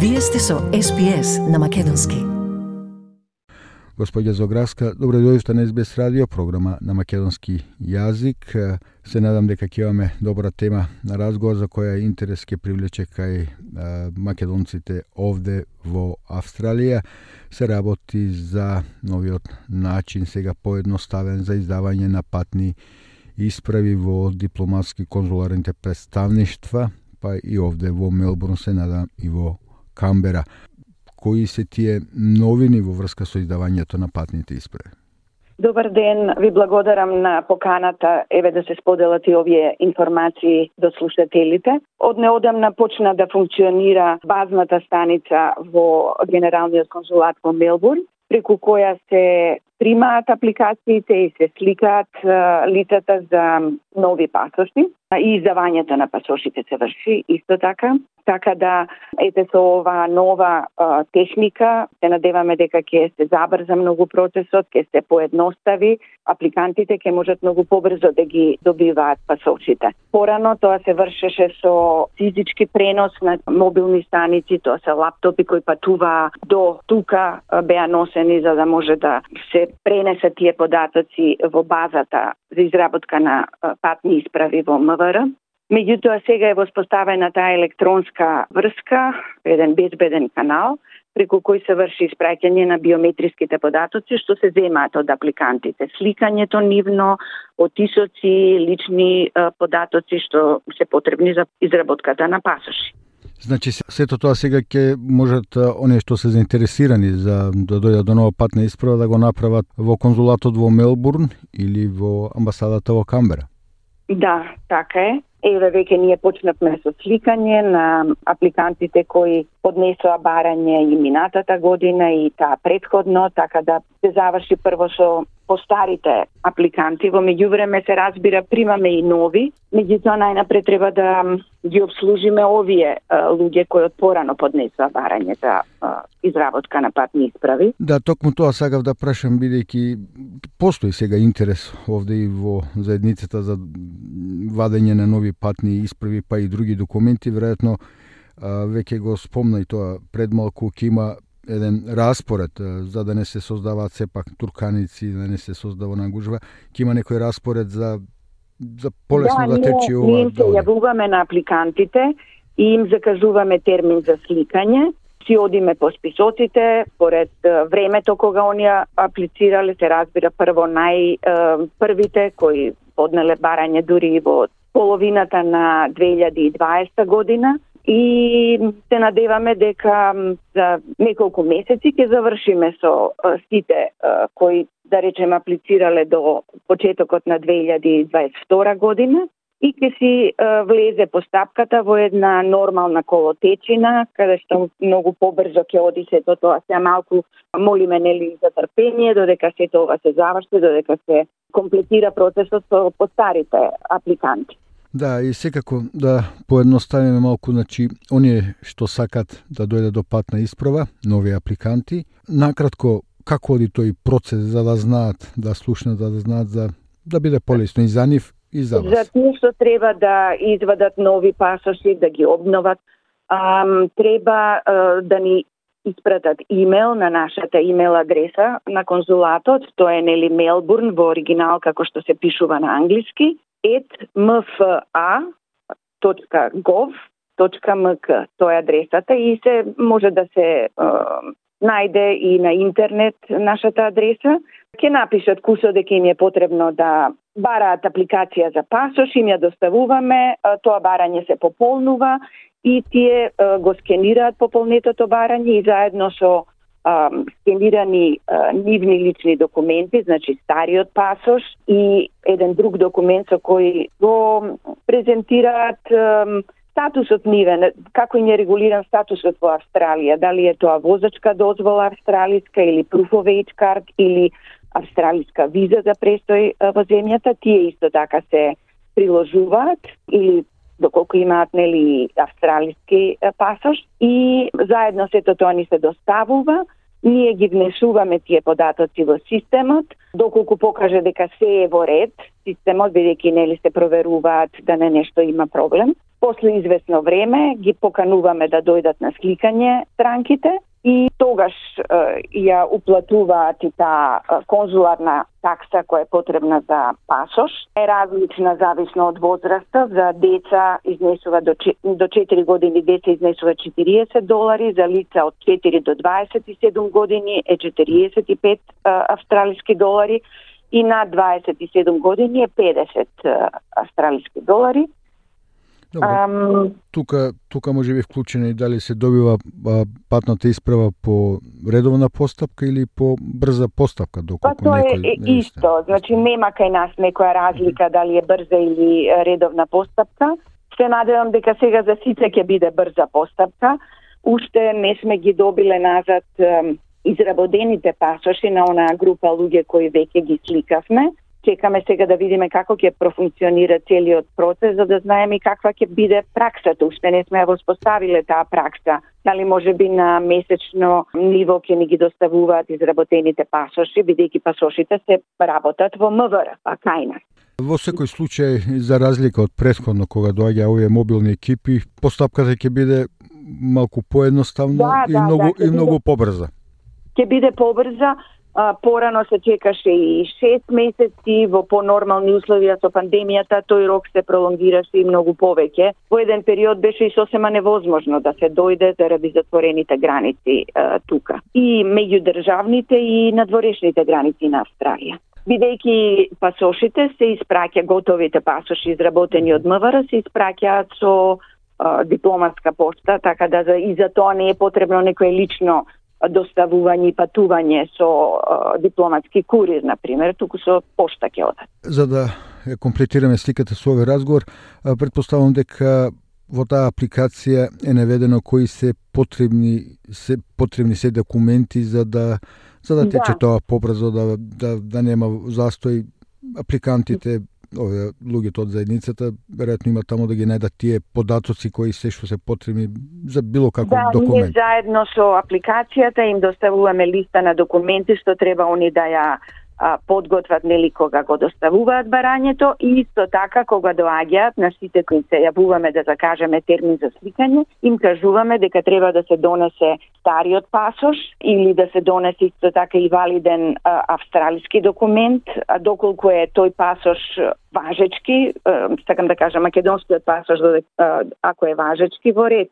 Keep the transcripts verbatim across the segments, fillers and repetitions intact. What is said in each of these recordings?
Вие сте со Ес Би Ес на македонски. Господја Зограска, добро дојдовте на Ес Би Ес радио, програма на македонски јазик. Се надам дека ќе имаме добра тема на разговор за која интерес ќе привлече кај а, македонците овде во Австралија. Се работи за новиот начин, сега поедноставен за издавање на патни исправи во дипломатски конзуларните представништва, па и овде во Мелбурн, се надам и во Камбера. Кои се тие новини во врска со издавањето на патните исправи? Добар ден, ви благодарам на поканата, еве да се споделат и овие информации до слушателите. Од неодамна почна да функционира базната станица во Генералниот конзулат во Мелбурн, преку која се примаат апликациите и се сликаат лицата за нови пасоши и издавањето на пасошите се врши исто така. Така да, ете со ова нова а, техника, се надеваме дека ќе се забрза многу процесот, ќе се поедностави, апликантите ќе можат многу побрзо да ги добиваат пасошите. Порано тоа се вршеше со физички пренос на мобилни станици, тоа се лаптопи кои патуваа до тука, беа носени за да може да се пренесат тие податоци во базата за изработка на патни исправи во Ем Ве Р. Меѓутоа, сега е воспоставена таа електронска врска, еден безбеден канал, преку кој се врши испраќање на биометриските податоци, што се земаат од апликантите. Сликањето нивно, отисоци, лични е, податоци, што се потребни за изработката на пасоши. Значи, сето тоа сега ќе можат оние што се заинтересирани за да дојдат до нова патна исправа да го направат во конзулатот во Мелбурн или во амбасадата во Камбера? Да, така е. Еве веќе ние почнавме со сликање на апликантите кои поднесоа барање и минатата година и таа претходно, така да се заврши прво со постарите апликанти. Во меѓувреме се разбира, примаме и нови, меѓутоа најнапред треба да ги обслужиме овие а, луѓе кои од порано поднесоа барање за а, изработка на патни исправи. Да, токму тоа сакав да прашам, бидејќи постои сега интерес овде и во заедницата за вадење на нови патни исправи, па и други документи. Веројатно веќе го спомна и тоа пред малку, ќе има еден распоред за да не се создаваат сепак турканици, да не се создава нагужва, ќе има некој распоред за за полесно да, да тече ова. Ние се јавуваме на апликантите и им закажуваме термин за сликање. Си одиме по списоците, поред времето кога оние аплицирале, се разбира прво најпрвите кои поднеле барање дури во половината на две илјади и дваесета година и се надеваме дека за неколку месеци ќе завршиме со сите кои, да речем, аплицирале до почетокот на две илјади и дваесет и втора година и ќе си влезе постапката во една нормална колотечина, каде што многу побрзо ќе оди сето тоа. Се малку молиме нели за трпение додека сето ова се заврши, додека се комплетира процесот со постарите апликанти. Да, и секако да поедноставиме малку, значи, оние што сакат да дојде до патна исправа, нови апликанти, накратко, како оди тој процес за да знаат, да слушнат, да, да знаат, за да биде полесно и за нив, и за вас? За тие што треба да извадат нови пасоши, да ги обноват, ам, треба а, да ни испратат имейл на нашата имейл адреса на конзулатот, тоа е нели Мелбурн во оригинал како што се пишува на англиски, et ем еф а точка гов точка ем к. Тоа е адресата и се може да се е, најде и на интернет нашата адреса. Ќе напишат кусо дека им е потребно да бараат апликација за пасош, им ја доставуваме, тоа барање се пополнува и тие е, го скенираат пополнетото барање и заедно со Uh, скенирани uh, нивни лични документи, значи стариот пасош и еден друг документ со кој го презентираат um, статусот нивен, како им е регулиран статусот во Австралија, дали е тоа возачка дозвола австралиска или proof of age card или австралиска виза за престој uh, во земјата, тие исто така се приложуваат или доколку имаат нели австралиски пасош и заедно сето тоа ни се доставува. Ние ги внесуваме тие податоци во системот, доколку покаже дека се е во ред, системот, бидејќи нели се проверуваат да не нешто има проблем. После известно време ги покануваме да дојдат на сликање странките и тогаш е, ја уплатуваат и таа конзуларна такса која е потребна за пасош. Е различна зависно од возраста. За деца изнесува до, до четири години деца изнесува четириесет долари, за лица од четири до дваесет и седум години е четириесет и пет австралиски долари и над дваесет и седум години е педесет австралиски долари. Добро. Um, тука, тука може би вклучено и дали се добива а, патната исправа по редовна постапка или по брза постапка, доколку па, тоа некој... е исто, значи нема кај нас некоја разлика дали е брза или редовна постапка. Се надевам дека сега за сите ќе биде брза постапка. Уште не сме ги добиле назад ем, изработените пасоши на онаа група луѓе кои веќе ги сликавме. Чекаме сега да видиме како ќе профункционира целиот процес, за да знаеме каква ќе биде праксата. Уште не сме ја воспоставиле таа пракса. Дали може би на месечно ниво ќе ни ги доставуваат изработените пасоши, бидејќи пасошите се работат во М В Р, па кај нас. Во секој случај, за разлика од претходно кога доаѓа овие мобилни екипи, постапката ќе биде малку поедноставна да, и да, многу да, и многу биде... побрза. Ќе биде побрза. А, порано се чекаше и шест месеци, во понормални условија со пандемијата, тој рок се пролонгираше и многу повеќе. Во еден период беше и сосема невозможно да се дојде заради затворените граници а, тука. И меѓудржавните и надворешните граници на Австралија. Бидејќи пасошите се испраќа, готовите пасоши изработени од М В Р се испраќаат со а, дипломатска пошта, така да за, и за тоа не е потребно некое лично доставување и патување со а, дипломатски курир, например, туку со пошта ќе одат. За да ја комплетираме сликата со овој разговор, претпоставувам дека во таа апликација е наведено кои се потребни се потребни се документи за да за да тече да. Тоа побрзо, да, да да нема застој. Апликантите, овие луѓето од заедницата, веројатно има таму да ги најдат тие податоци кои се што се потребни за било каков да, документ. Да, ние заедно со апликацијата им доставуваме листа на документи што треба они да ја а, подготват, нели, кога го доставуваат барањето, и исто така кога доаѓаат на сите кои се јавуваме да закажеме термин за сликање, им кажуваме дека треба да се донесе стариот пасош или да се донесе исто така и валиден а, австралиски документ, а доколку е тој пасош важечки, а, сакам да кажам македонскиот пасош, а, ако е важечки, во ред.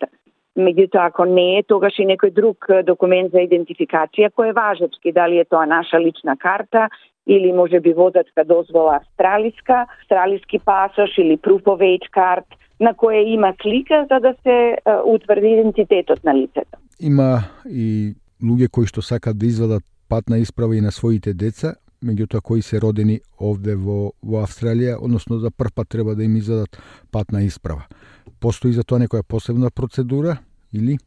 Меѓутоа, ако не е, тогаш и некој друг документ за идентификација кој е важечки, дали е тоа наша лична карта или може би возачка дозвола австралиска, австралиски пасош или proof of age card, на која има слика за да се uh, утврди идентитетот на лицето. Има и луѓе кои што сакаат да извадат патна исправа и на своите деца, меѓутоа кои се родени овде во, во Австралија, односно за прв пат треба да им извадат патна исправа. Постои за тоа некоја посебна процедура или?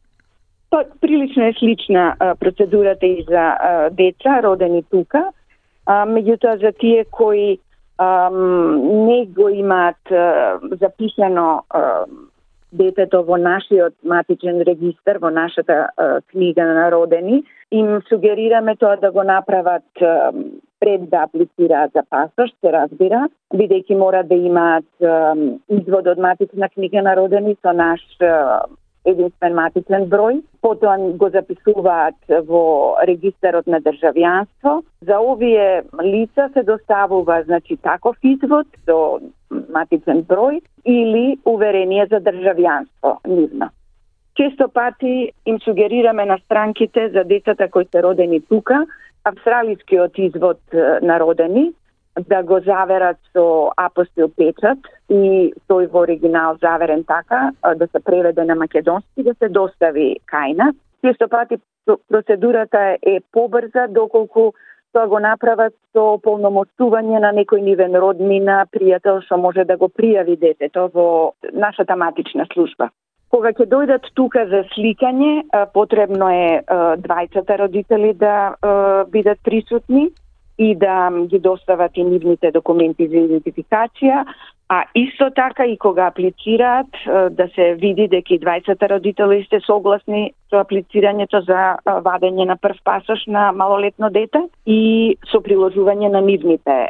Па, прилично е слична а, процедурата и за а, деца родени тука, а, меѓутоа за тие кои а, не го имаат а, записано а, детето во нашиот матичен регистар, во нашата а, книга на родени, им сугерираме тоа да го направат а, пред да аплицираат за пасош, се разбира, бидејќи мора да имаат а, извод од матична книга на родени со наш а, единствен матичен број, потоа го записуваат во регистарот на државјанство. За овие лица се доставува, значи, таков извод со матичен број или уверение за државјанство нивно. Често пати им сугерираме на странките за децата кои се родени тука, австралискиот извод на родени, да го заверат со апостил печат и тој во оригинал заверен така, да се преведе на македонски, да се достави кај нас. Често пати процедурата е побрза, доколку тоа го направат со полномоштување на некој нивен роднина, пријател што може да го пријави детето во нашата матична служба. Кога ќе дојдат тука за сликање, потребно е двајцата родители да бидат присутни и да ги достават и нивните документи за идентификација, а исто така и кога аплицираат да се види дека и двајцата родители сте согласни со аплицирањето за вадење на прв пасош на малолетно дете и со приложување на нивните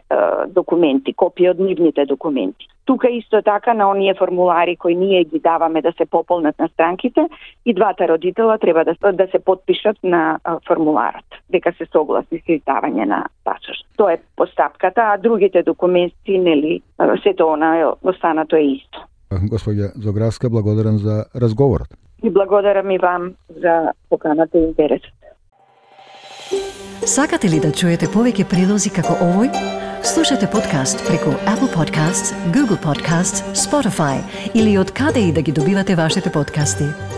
документи, копија од нивните документи. тука исто така на оние формулари кои ние ги даваме да се пополнат на странките, и двата родитела треба да, да се потпишат на формуларот, дека се согласни со издавање на пасошт. Тоа е постапката, а другите документи, нели, сето она останато е исто. Господја Зографска, благодарам за разговорот. И благодарам и вам за поканата и интересот. Сакате ли да чуете повеќе прилози како овој? Слушате подкаст преку Apple Podcasts, Google Podcasts, Spotify или од каде и да ги добивате вашите подкасти.